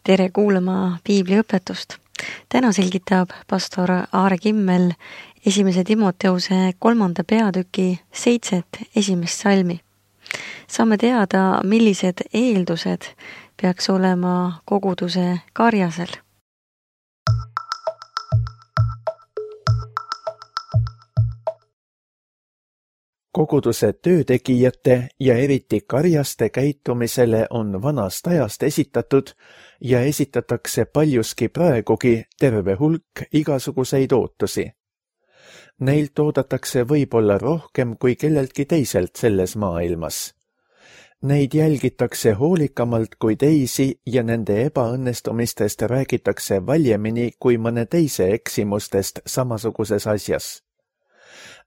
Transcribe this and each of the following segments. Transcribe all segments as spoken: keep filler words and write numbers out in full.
Tere kuulama piibliõpetust. Täna selgitab pastor Aare Kimmel esimese Timoteuse kolmanda peatüki seitset esimest salmi. Saame teada, millised eeldused peaks olema koguduse karjasel. Koguduse töötegijate ja eriti karjaste käitumisele on vanast ajast esitatud ja esitatakse paljuski praegugi terve hulk igasuguseid ootusi. Neilt oodatakse võib-olla rohkem kui kelleltki teiselt selles maailmas. Neid jälgitakse hoolikamalt kui teisi ja nende ebaõnnestumistest räägitakse valjemini kui mõne teise eksimustest samasuguses asjas.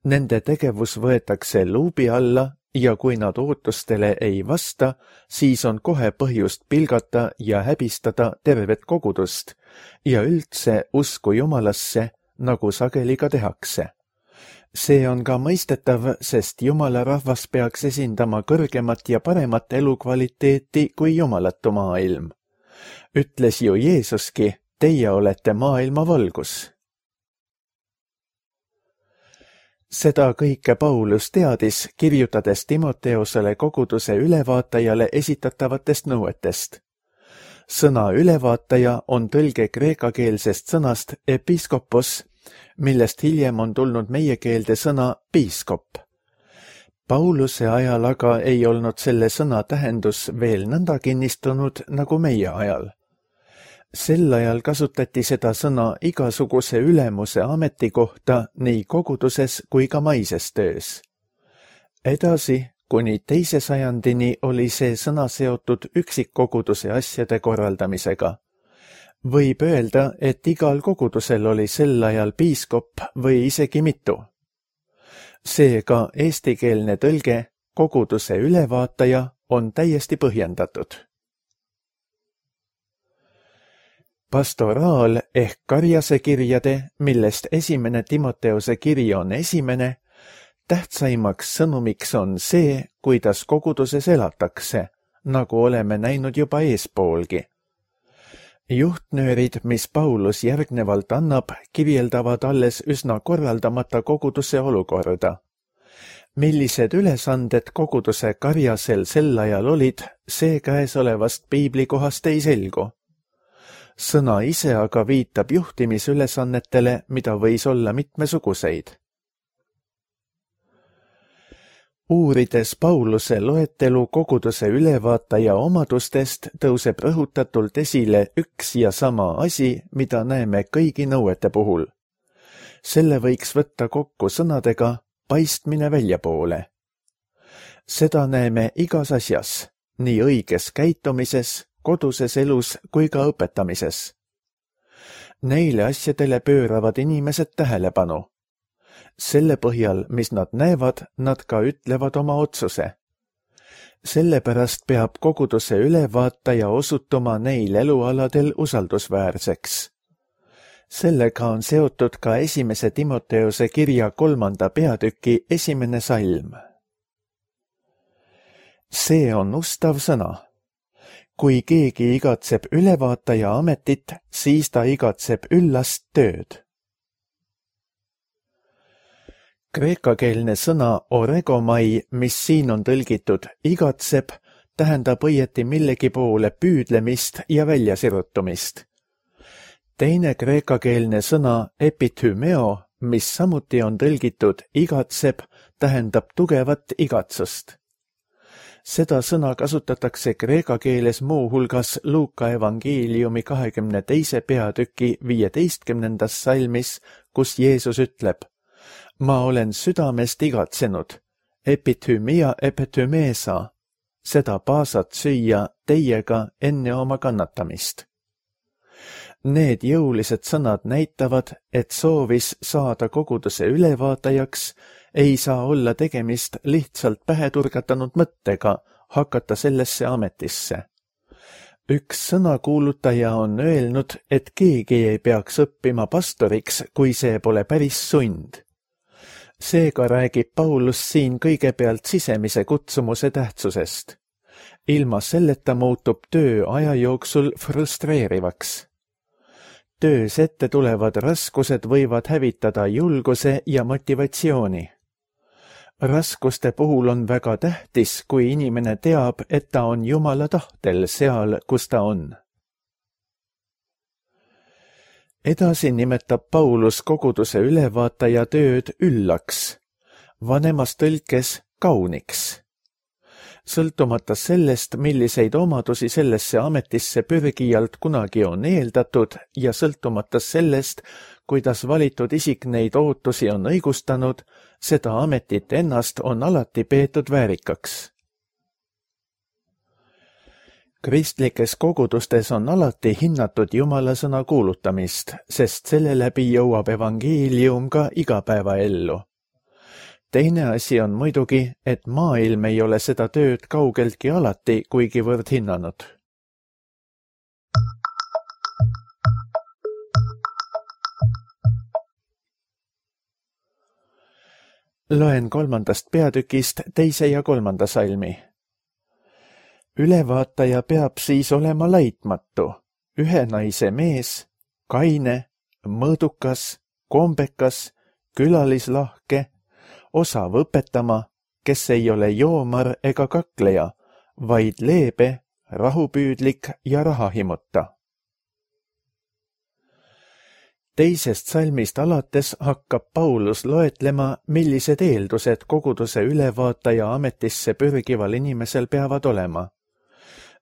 Nende tegevus võetakse luubi alla ja kui nad ootustele ei vasta, siis on kohe põhjust pilgata ja häbistada tervet kogudust ja üldse usku Jumalasse, nagu sageli ka tehakse. See on ka mõistetav, sest Jumala rahvas peaks esindama kõrgemat ja paremat elukvaliteeti kui jumalatu maailm. Ütles ju Jeesuski, teie olete maailma valgus. Seda kõike Paulus teadis, kirjutades Timoteusele koguduse ülevaatajale esitatavatest nõuetest. Sõna ülevaataja on tõlge kreekakeelsest sõnast episkopos, millest hiljem on tulnud meie keelde sõna piiskop. Pauluse ajal aga ei olnud selle sõna tähendus veel nõnda kinnistunud nagu meie ajal. Sel ajal kasutati seda sõna igasuguse ülemuse ameti kohta nii koguduses kui ka maises töös. Edasi, kuni teise sajandini oli see sõna seotud üksikkoguduse asjade korraldamisega. Võib öelda, et igal kogudusel oli sel ajal piiskop või isegi mitu. Seega eestikeelne tõlge koguduse ülevaataja on täiesti põhjendatud. Pastoraal ehk karjase kirjade, millest esimene Timoteuse kiri on esimene, tähtsaimaks sõnumiks on see, kuidas koguduses elatakse, nagu oleme näinud juba eespoolgi. Juhtnöörid, mis Paulus järgnevalt annab, kirjeldavad alles üsna korraldamata koguduse olukorda. Millised ülesanded koguduse karjasel sel ajal olid, see käesolevast piiblikohast ei selgu. Sõna ise aga viitab juhtimisülesannetele, mida võis olla mitmesuguseid. Uurides Pauluse loetelu koguduse ülevaataja omadustest, tõuseb rõhutatult esile üks ja sama asi, mida näeme kõigi nõuete puhul. Selle võiks võtta kokku sõnadega paistmine väljapoole. Seda näeme igas asjas, nii õiges käitumises, koduses elus kui ka õpetamises. Neile asjadele pööravad inimesed tähelepanu. Selle põhjal, mis nad näevad, nad ka ütlevad oma otsuse. Sellepärast peab koguduse ülevaataja osutuma neil elualadel usaldusväärseks. Sellega on seotud ka esimese Timoteuse kirja kolmanda peatüki esimene salm. See on ustav sõna. Kui keegi igatseb ülevaataja ametit, siis ta igatseb üllast tööd. Kreekakeelne sõna oregomai, mis siin on tõlgitud igatseb, tähendab õieti millegi poole püüdlemist ja väljasirutumist. Teine kreekakeelne sõna epithymeo, mis samuti on tõlgitud igatseb, tähendab tugevat igatsust. Seda sõna kasutatakse kreeka keeles muu hulgas Luuka evangeeliumi kahekümne teise peatüki viieteistkümnendas salmis, kus Jeesus ütleb: Ma olen südamest igatsenud, epithymia epithymesa, seda paasat süüa teiega enne oma kannatamist. Need jõulised sõnad näitavad, et soovis saada koguduse ülevaatajaks ei saa olla tegemist lihtsalt päheturgatanud mõttega hakata sellesse ametisse. Üks sõnakuulutaja on öelnud, et keegi ei peaks õppima pastoriks, kui see pole päris sund. Seega räägib Paulus siin kõigepealt sisemise kutsumuse tähtsusest. Ilma selleta muutub töö aja jooksul frustreerivaks. Töös ette tulevad raskused võivad hävitada julguse ja motivatsiooni. Raskuste puhul on väga tähtis, kui inimene teab, et ta on Jumala tahtel seal, kus ta on. Edasi nimetab Paulus koguduse ülevaataja tööd üllaks, vanemas tõlkes kauniks. Sõltumata sellest, milliseid omadusi sellesse ametisse pürgijalt kunagi on eeldatud ja sõltumata sellest, kuidas valitud isik neid ootusi on õigustanud, seda ametit ennast on alati peetud väärikaks. Kristlikes kogudustes on alati hinnatud Jumala sõna kuulutamist, sest selle läbi jõuab evangeelium ka igapäevaellu. Teine asi on muidugi, et maailm ei ole seda tööd kaugeltki alati kuigivõrd hinnanud. Loen kolmandast peatükist teise ja kolmanda salmi. Ülevaataja peab siis olema laitmatu, ühe naise mees, kaine, mõõdukas, kombekas, külalislahke, osav õpetama, kes ei ole joomar ega kakleja, vaid leebe, rahupüüdlik ja rahahimuta. Teisest salmist alates hakkab Paulus loetlema, millised eeldused koguduse ülevaataja ametisse pürgival inimesel peavad olema.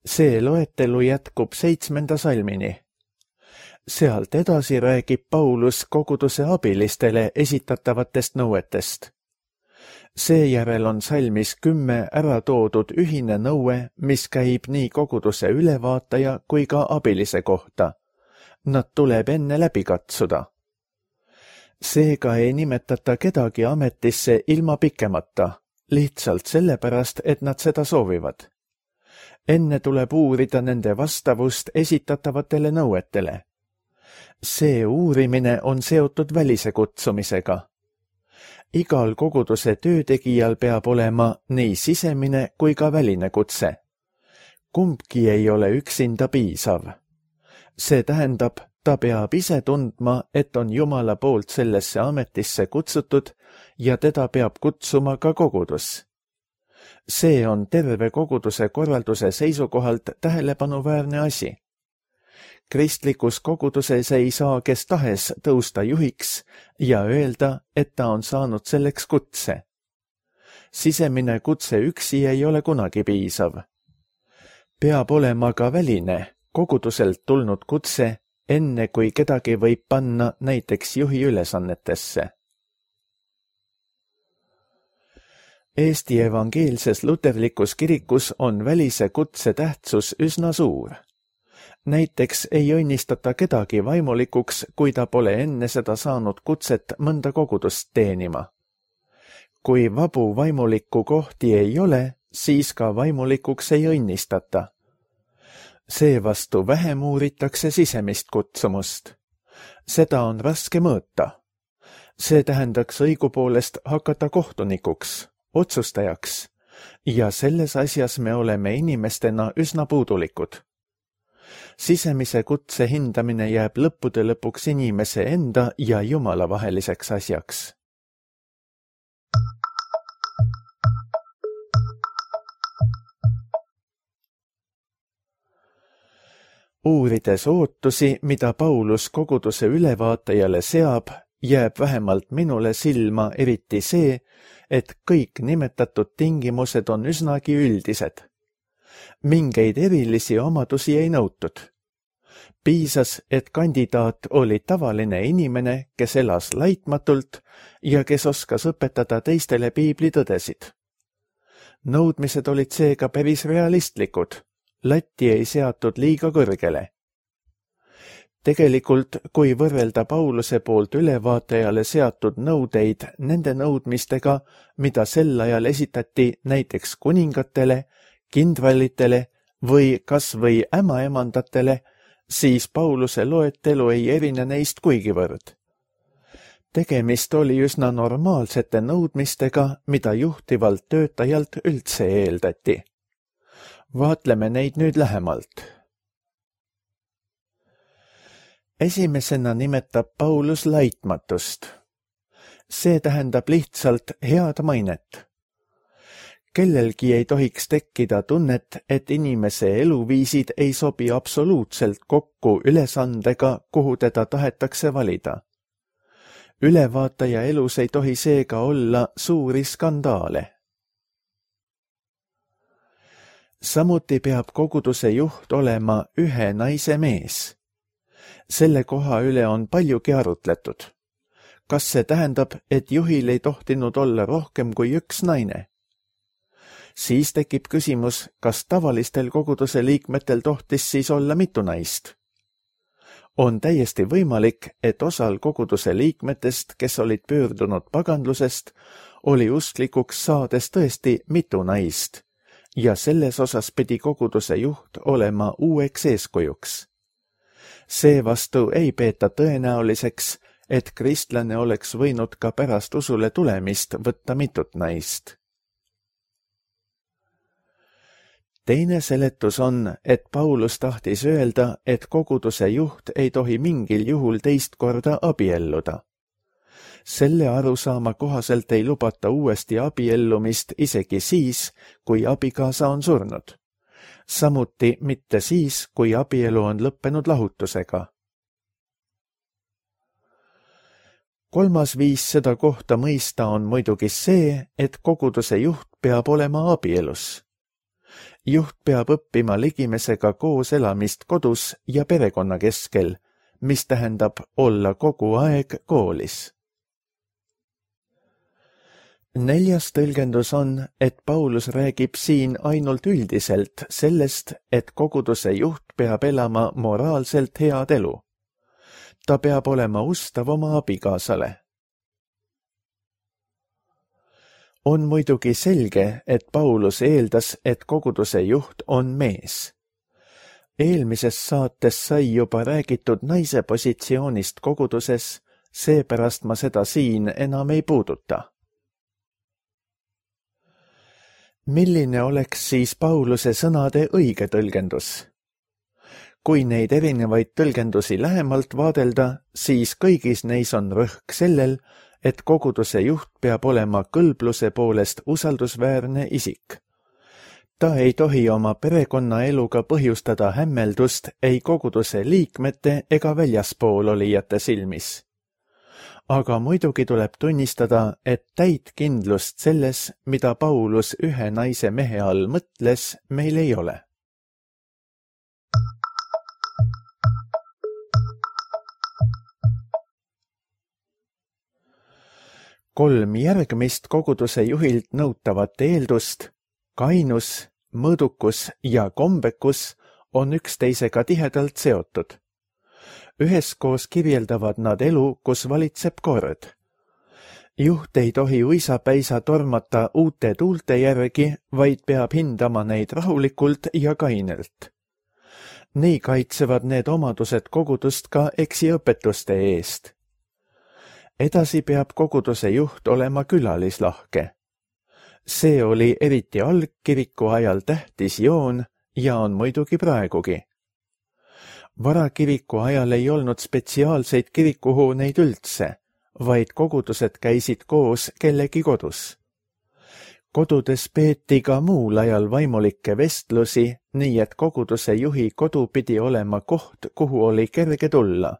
See loetelu jätkub seitsmenda salmini. Sealt edasi räägib Paulus koguduse abilistele esitatavatest nõuetest. Seejärel on salmis kümme ära toodud ühine nõue, mis käib nii koguduse ülevaataja kui ka abilise kohta. Nad tuleb enne läbi katsuda. Seega ei nimetata kedagi ametisse ilma pikemata, lihtsalt sellepärast, et nad seda soovivad. Enne tuleb uurida nende vastavust esitatavatele nõuetele. See uurimine on seotud välise kutsumisega. Igal koguduse töötegijal peab olema nii sisemine kui ka väline kutse. Kumbki ei ole üksinda piisav. See tähendab, ta peab ise tundma, et on Jumala poolt sellesse ametisse kutsutud ja teda peab kutsuma ka kogudus. See on terve koguduse korralduse seisukohalt tähelepanuväärne asi. Kristlikus koguduses ei saa kes tahes tõusta juhiks ja öelda, et ta on saanud selleks kutse. Sisemine kutse üksi ei ole kunagi piisav. Peab olema ka väline, koguduselt tulnud kutse, enne kui kedagi võib panna näiteks juhi ülesannetesse. Eesti evangeelses luterlikus kirikus on välise kutse tähtsus üsna suur. Näiteks ei õnnistata kedagi vaimulikuks, kui ta pole enne seda saanud kutset mõnda kogudust teenima. Kui vabu vaimuliku kohti ei ole, siis ka vaimulikuks ei õnnistata. Seevastu vähem uuritakse sisemist kutsumust. Seda on raske mõõta. See tähendaks õigupoolest hakata kohtunikuks, otsustajaks, ja selles asjas me oleme inimestena üsna puudulikud. Sisemise kutse hindamine jääb lõppude lõpuks inimese enda ja Jumala vaheliseks asjaks. Uurides ootusi, mida Paulus koguduse ülevaatajale seab, jääb vähemalt minule silma eriti see, et kõik nimetatud tingimused on üsnagi üldised. Mingeid erilisi omadusi ei nõutud. Piisas, et kandidaat oli tavaline inimene, kes elas laitmatult ja kes oskas õpetada teistele piiblitõdesid. Nõudmised olid seega päris realistlikud. Latti ei seatud liiga kõrgele. Tegelikult, kui võrrelda Pauluse poolt ülevaatajale seatud nõudeid nende nõudmistega, mida sel ajal esitati näiteks kuningatele, kindralitele või kas või ämaemandatele, siis Pauluse loetelu ei erine neist kuigivõrd. Tegemist oli üsna normaalsete nõudmistega, mida juhtivalt töötajalt üldse eeldati. Vaatleme neid nüüd lähemalt. Esimesena nimetab Paulus laitmatust. See tähendab lihtsalt head mainet. Kellelgi ei tohiks tekkida tunnet, et inimese eluviisid ei sobi absoluutselt kokku ülesandega, kuhu teda tahetakse valida. Ülevaataja elus ei tohi seega olla suuri skandaale. Samuti peab koguduse juht olema ühe naise mees. Selle koha üle on paljugi arutletud. Kas see tähendab, et juhil ei tohtinud olla rohkem kui üks naine? Siis tekib küsimus, kas tavalistel koguduse liikmetel tohtis siis olla mitu naist? On täiesti võimalik, et osal koguduse liikmetest, kes olid pöördunud pagandlusest, oli usklikuks saades tõesti mitu naist ja selles osas pidi koguduse juht olema uueks eeskujuks. Seevastu ei peeta tõenäoliseks, et kristlane oleks võinud ka pärast usule tulemist võtta mitut naist. Teine seletus on, et Paulus tahtis öelda, et koguduse juht ei tohi mingil juhul teist korda abielluda. Selle arusaama kohaselt ei lubata uuesti abiellumist isegi siis, kui abikaasa on surnud. Samuti mitte siis, kui abielu on lõppenud lahutusega. Kolmas viis seda kohta mõista on muidugi see, et koguduse juht peab olema abielus. Juht peab õppima ligimesega koos elamist kodus ja perekonna keskel, mis tähendab olla kogu aeg koolis. Neljas tõlgendus on, et Paulus räägib siin ainult üldiselt sellest, et koguduse juht peab elama moraalselt head elu. Ta peab olema ustav oma abikaasale. On muidugi selge, et Paulus eeldas, et koguduse juht on mees. Eelmises saates sai juba räägitud naise positsioonist koguduses, seepärast ma seda siin enam ei puuduta. Milline oleks siis Pauluse sõnade õige tõlgendus? Kui neid erinevaid tõlgendusi lähemalt vaadelda, siis kõigis neis on rõhk sellel, et koguduse juht peab olema kõlbluse poolest usaldusväärne isik. Ta ei tohi oma perekonnaeluga põhjustada hämmeldust ei koguduse liikmete ega väljaspool olijate silmis. Aga muidugi tuleb tunnistada, et täit kindlust selles, mida Paulus ühe naise mehe all mõtles, meil ei ole. Kolm järgmist koguduse juhilt nõutavat eeldust, kainus, mõõdukus ja kombekus on üksteisega tihedalt seotud. Üheskoos kirjeldavad nad elu, kus valitseb kord. Juht ei tohi uisapäisa tormata uute tuulte järgi, vaid peab hindama neid rahulikult ja kainelt. Nii kaitsevad need omadused kogudust ka eksiõpetuste eest. Edasi peab koguduse juht olema külalislahke. See oli eriti algkiriku ajal tähtis joon ja on muidugi praegugi. Varakiriku ajal ei olnud spetsiaalseid kirikuhooneid üldse, vaid kogudused käisid koos kellegi kodus. Kodudes peeti ka muul ajal vaimulikke vestlusi, nii et koguduse juhi kodu pidi olema koht, kuhu oli kerge tulla.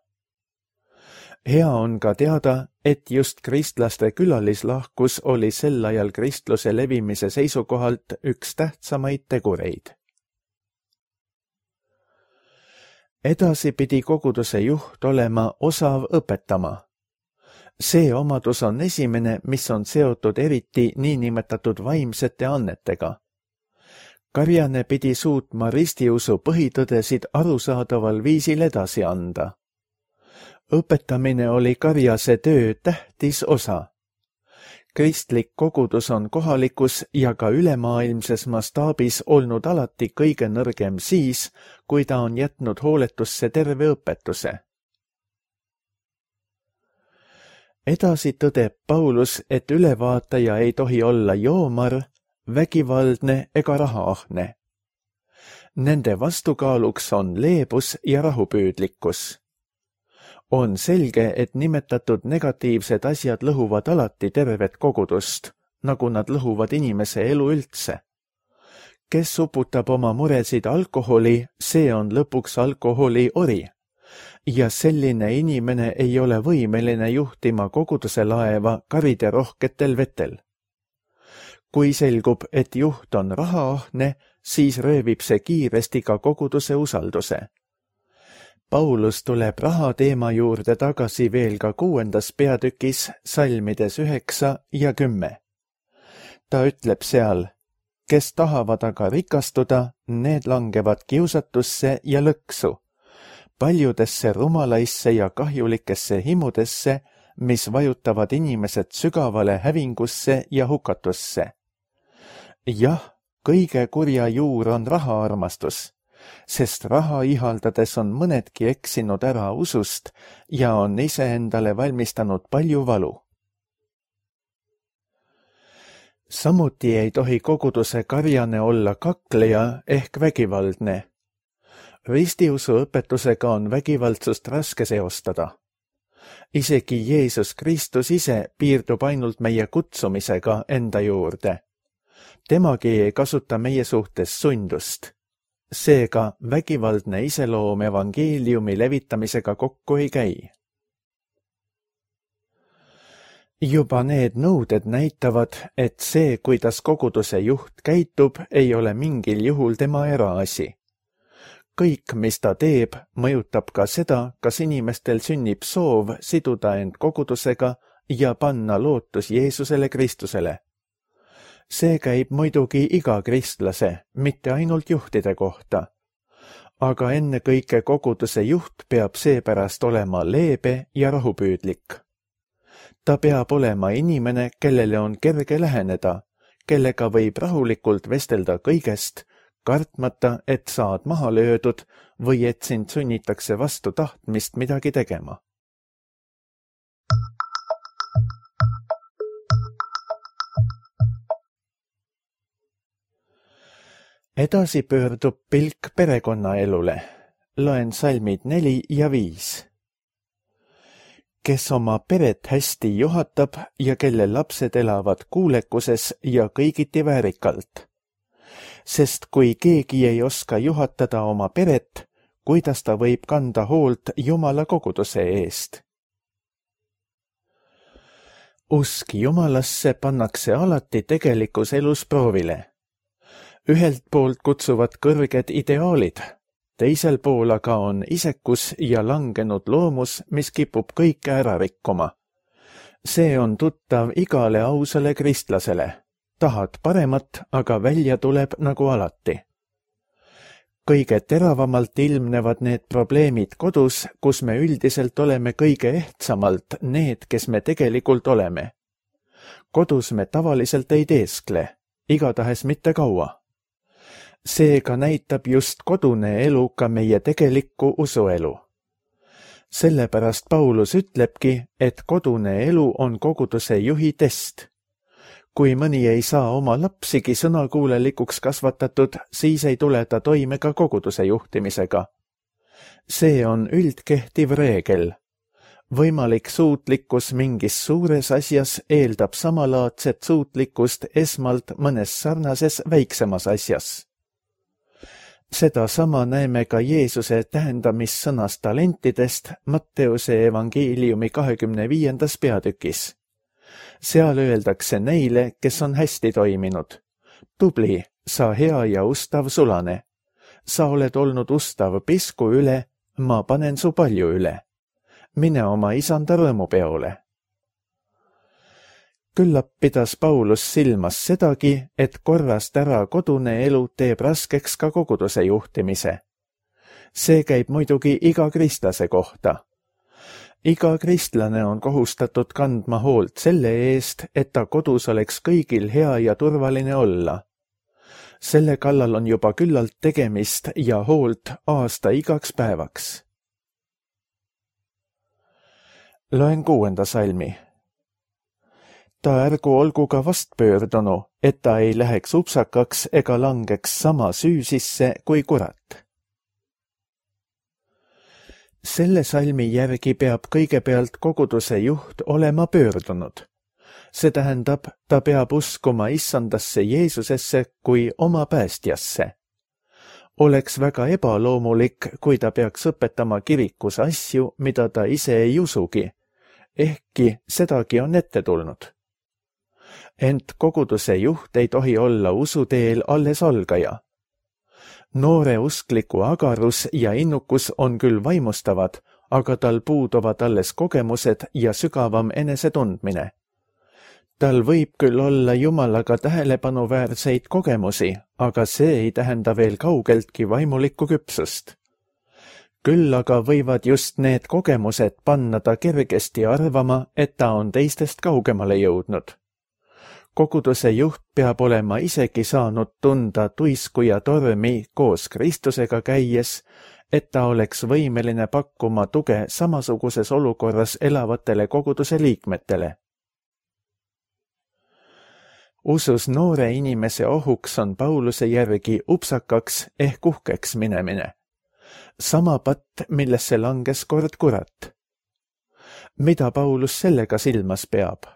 Hea on ka teada, et just kristlaste külalislahkus oli sel ajal kristluse levimise seisukohalt üks tähtsamaid tegureid. Edasi pidi koguduse juht olema osav õpetama. See omadus on esimene, mis on seotud eriti niinimetatud vaimsete annetega. Karjane pidi suutma ristiusu põhitõdesid arusaadaval viisil edasi anda. Õpetamine oli Karjase töö tähtis osa. Kristlik kogudus on kohalikus ja ka ülemaailmses mastaabis olnud alati kõige nõrgem siis, kui ta on jätnud hooletusse terve õpetuse. Edasi tõdeb Paulus, et ülevaataja ei tohi olla joomar, vägivaldne ega rahaahne. Nende vastukaaluks on leebus ja rahupüüdlikkus. On selge, et nimetatud negatiivsed asjad lõhuvad alati tervet kogudust, nagu nad lõhuvad inimese elu üldse. Kes uputab oma muresid alkoholi, see on lõpuks alkoholi ori. Ja selline inimene ei ole võimeline juhtima koguduse laeva karide rohketel vetel. Kui selgub, et juht on rahaahne, siis röövib see kiiresti ka koguduse usalduse. Paulus tuleb raha teema juurde tagasi veel ka kuuendas peatükis salmides üheksa ja kümme. Ta ütleb seal, kes tahavad aga rikastuda, need langevad kiusatusse ja lõksu, paljudesse rumalaisse ja kahjulikesse himudesse, mis vajutavad inimesed sügavale hävingusse ja hukatusse. Jah, kõige kurja juur on rahaarmastus, sest raha ihaldades on mõnedki eksinud ära usust ja on iseendale valmistanud palju valu. Samuti ei tohi koguduse karjane olla kakleja ehk vägivaldne. Ristiusu õpetusega on vägivaldsust raske seostada. Isegi Jeesus Kristus ise piirdub ainult meie kutsumisega enda juurde. Temagi ei kasuta meie suhtes sundust. Seega vägivaldne iseloom evangeeliumi levitamisega kokku ei käi. Juba need nõuded näitavad, et see, kuidas koguduse juht käitub, ei ole mingil juhul tema eraasi. Kõik, mis ta teeb, mõjutab ka seda, kas inimestel sünnib soov siduda end kogudusega ja panna lootus Jeesusele Kristusele. See käib muidugi iga kristlase, mitte ainult juhtide kohta. Aga ennekõike koguduse juht peab seepärast olema leebe ja rahupüüdlik. Ta peab olema inimene, kellele on kerge läheneda, kellega võib rahulikult vestelda kõigest, kartmata, et saad maha löödud või et sind sunnitakse vastu tahtmist midagi tegema. Edasi pöördub pilk perekonnaelule. Loen salmid neli ja viis. Kes oma peret hästi juhatab ja kelle lapsed elavad kuulekuses ja kõigiti väärikalt. Sest kui keegi ei oska juhatada oma peret, kuidas ta võib kanda hoolt Jumala koguduse eest? Usk Jumalasse pannakse alati tegelikus elus proovile. Ühelt poolt kutsuvad kõrged ideaalid, teisel pool aga on isekus ja langenud loomus, mis kipub kõike ära rikkuma. See on tuttav igale ausale kristlasele. Tahad paremat, aga välja tuleb nagu alati. Kõige teravamalt ilmnevad need probleemid kodus, kus me üldiselt oleme kõige ehtsamalt need, kes me tegelikult oleme. Kodus me tavaliselt ei teeskle, igatahes mitte kaua. Seega näitab just kodune elu ka meie tegelikku usuelu. Sellepärast Paulus ütlebki, et kodune elu on koguduse juhi test. Kui mõni ei saa oma lapsigi sõnakuulelikuks kasvatatud, siis ei tule ta toime ka koguduse juhtimisega. See on üldkehtiv reegel. Võimalik suutlikkus mingis suures asjas eeldab samalaadset suutlikkust esmalt mõnes sarnases väiksemas asjas. Seda sama näeme ka Jeesuse tähendamissõnas talentidest Matteuse evangeeliumi kahekümne viiendas peatükis. Seal öeldakse neile, kes on hästi toiminud. Tubli, sa hea ja ustav sulane. Sa oled olnud ustav pisku üle, ma panen su palju üle. Mine oma isanda rõõmupeole. Küllap pidas Paulus silmas sedagi, et korrast ära kodune elu teeb raskeks ka koguduse juhtimise. See käib muidugi iga kristlase kohta. Iga kristlane on kohustatud kandma hoolt selle eest, et ta kodus oleks kõigil hea ja turvaline olla. Selle kallal on juba küllalt tegemist ja hoolt aasta igaks päevaks. Loen kuuenda salmi. ta ärgu olgu ka vastpöördunu, et ta ei läheks upsakaks ega langeks sama süü sisse kui kurat. Selle salmi järgi peab kõigepealt koguduse juht olema pöördunud. See tähendab, ta peab uskuma issandasse Jeesusesse kui oma päästjasse. Oleks väga ebaloomulik, kui ta peaks õpetama kirikus asju, mida ta ise ei usugi, ehkki sedagi on ette tulnud. Ent koguduse juht ei tohi olla usuteel alles algaja. Noore uskliku agarus ja innukus on küll vaimustavad, aga tal puuduvad alles kogemused ja sügavam enesetundmine. Tal võib küll olla Jumalaga tähelepanuväärseid kogemusi, aga see ei tähenda veel kaugeltki vaimulikku küpsust. Küll aga võivad just need kogemused panna ta kergesti arvama, et ta on teistest kaugemale jõudnud. Koguduse juht peab olema isegi saanud tunda tuisku ja tormi koos Kristusega käies, et ta oleks võimeline pakkuma tuge samasuguses olukorras elavatele koguduse liikmetele. Usus noore inimese ohuks on Pauluse järgi upsakaks ehk uhkeks minemine. Sama patt, millesse langes kord kurat. Mida Paulus sellega silmas peab?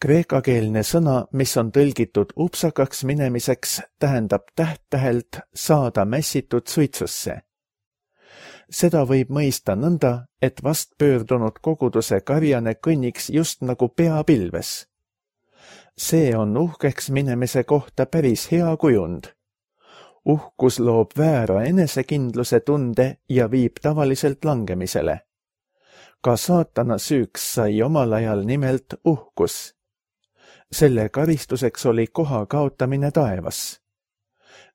Kreekakeelne sõna, mis on tõlgitud upsakaks minemiseks, tähendab täht-tähelt saada mässitud suitsusse. Seda võib mõista nõnda, et vastpöördunud koguduse karjane kõnniks just nagu pea pilves. See on uhkeks minemise kohta päris hea kujund. Uhkus loob väära enesekindluse tunde ja viib tavaliselt langemisele. Ka saatana süüks sai omal ajal nimelt uhkus. Selle karistuseks oli koha kaotamine taevas.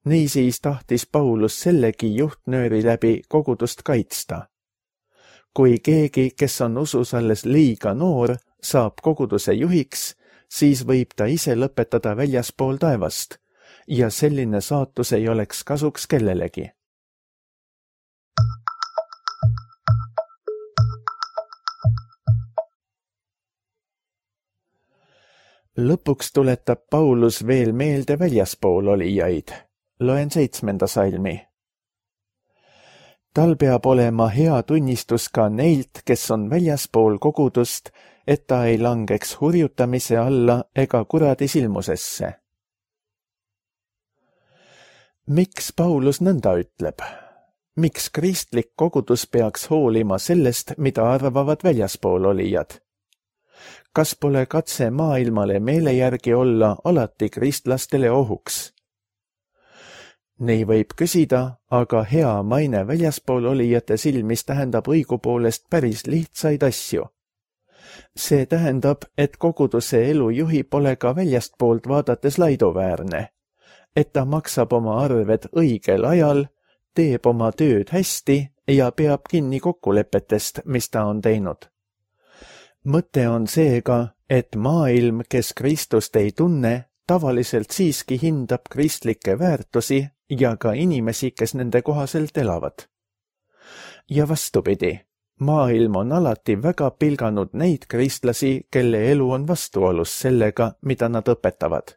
Niisiis tahtis Paulus sellegi juhtnööri läbi kogudust kaitsta. Kui keegi, kes on usus alles liiga noor, saab koguduse juhiks, siis võib ta ise lõpetada väljaspool taevast ja selline saatus ei oleks kasuks kellelegi. Lõpuks tuletab Paulus veel meelde väljaspool olijaid. Loen seitsmenda salmi. Tal peab olema hea tunnistus ka neilt, kes on väljaspool kogudust, et ta ei langeks hurjutamise alla ega kuradi silmusesse. Miks Paulus nõnda ütleb? Miks kristlik kogudus peaks hoolima sellest, mida arvavad väljaspool olijad? Kas pole katse maailmale meele järgi olla alati kristlastele ohuks? Nii võib küsida, aga hea maine väljaspool olijate silmis tähendab õigupoolest päris lihtsaid asju. See tähendab, et koguduse elujuhi pole ka väljastpoolt vaadates laiduväärne, et ta maksab oma arved õigel ajal, teeb oma tööd hästi ja peab kinni kokkulepetest, mis ta on teinud. Mõte on seega, et maailm, kes Kristust ei tunne, tavaliselt siiski hindab kristlikke väärtusi ja ka inimesi, kes nende kohaselt elavad. Ja vastupidi, maailm on alati väga pilganud neid kristlasi, kelle elu on vastuolus sellega, mida nad õpetavad.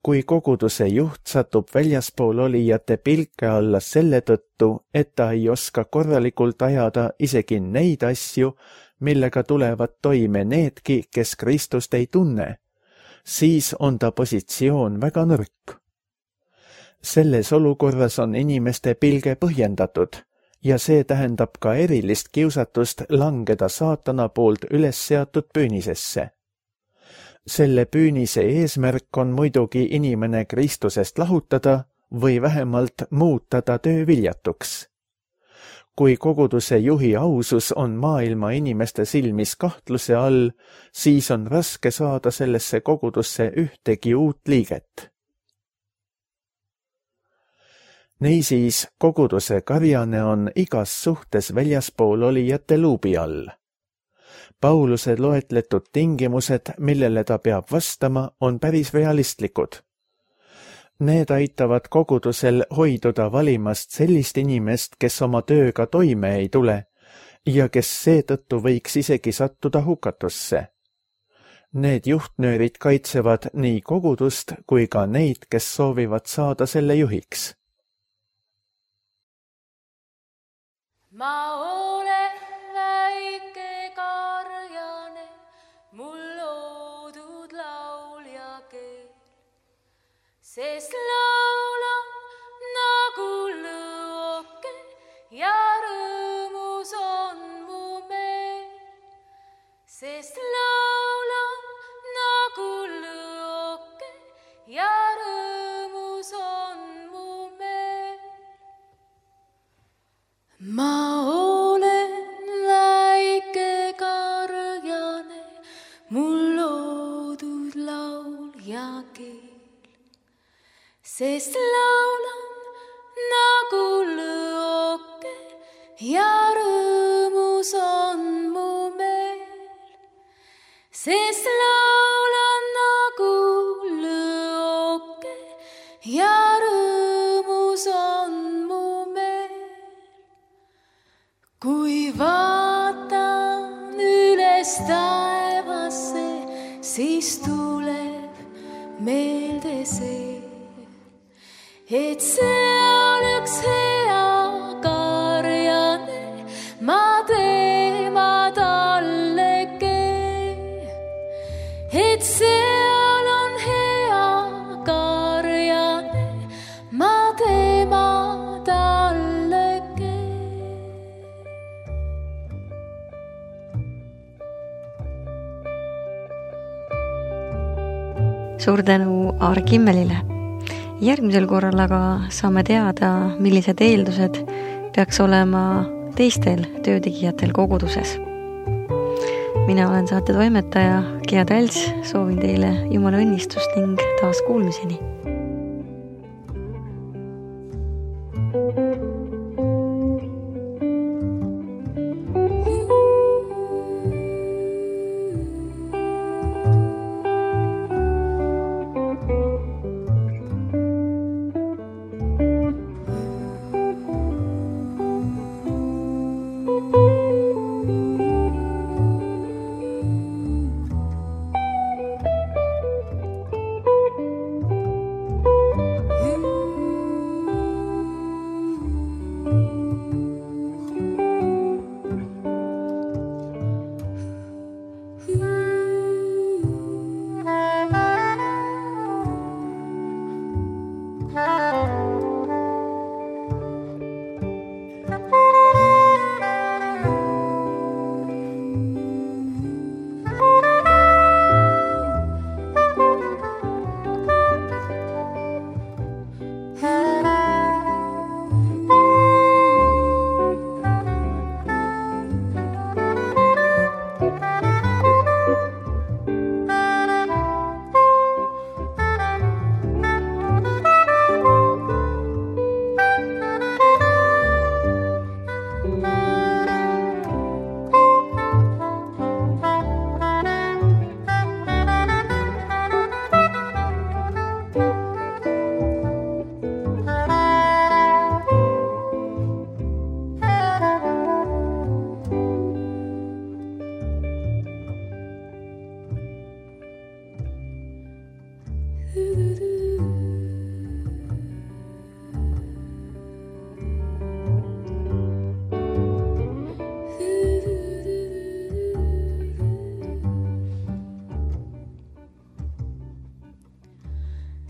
Kui koguduse juht satub väljaspool olijate pilke alla selle tõttu, et ta ei oska korralikult ajada isegi neid asju, millega tulevad toime needki, kes Kristust ei tunne, siis on ta positsioon väga nõrk. Selles olukorras on inimeste pilge põhjendatud ja see tähendab ka erilist kiusatust langeda saatana poolt üles seatud püünisesse. Selle püünise eesmärk on muidugi inimene Kristusest lahutada või vähemalt muuta ta tööviljatuks. Kui koguduse juhi ausus on maailma inimeste silmis kahtluse all, siis on raske saada sellesse kogudusse ühtegi uut liiget. Niisiis, koguduse karjane on igas suhtes väljaspool olijate luubi all. Pauluse loetletud tingimused, millele ta peab vastama, on päris realistlikud. Need aitavad kogudusel hoiduda valimast sellist inimest, kes oma tööga toime ei tule, ja kes seetõttu võiks isegi sattuda hukatusse. Need juhtnöörid kaitsevad nii kogudust kui ka neid, kes soovivad saada selle juhiks. Ma olen väike karjane, mul loodud laulja keel, sest laulan nagu lõoke ja rõõmus on mu meel, sest laulan nagu lõoke ja rõõmus on mu meel. Ma olen väike karjane, mul loodud laulja keel, sest laulan nagu lõoke ja rõõmus on mu meel, sest laulan nagu lõoke ja rõõmus on mu meel. Kui vaatan üles taevasse, siis tuleb meelde see, et seal üks hea karjane, ma tema talle keel, et seal on hea karjane, ma tema talle keel. Suur tänu Aar Kimmelile. Järgmisel korral aga saame teada, millised eeldused peaks olema teistel töötegijatel koguduses. Mina olen saate toimetaja Gea Tälts, soovin teile Jumala õnnistust ning taas kuulmiseni.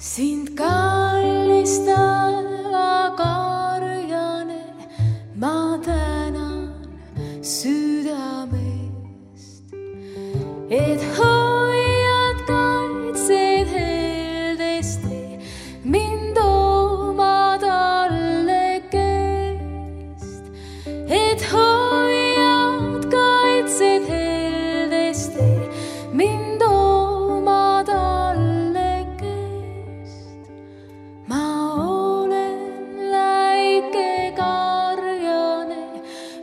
Sind kallistava karjane, ma tänan südamest, et hoiad kaitsed heldesti mind oma talle kest, et hoiad kaitsed heldesti mind oma talle kest. Ma olen väike karjane,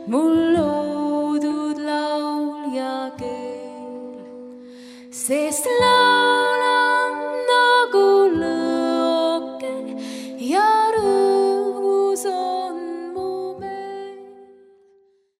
mul loodud laulja keel, sest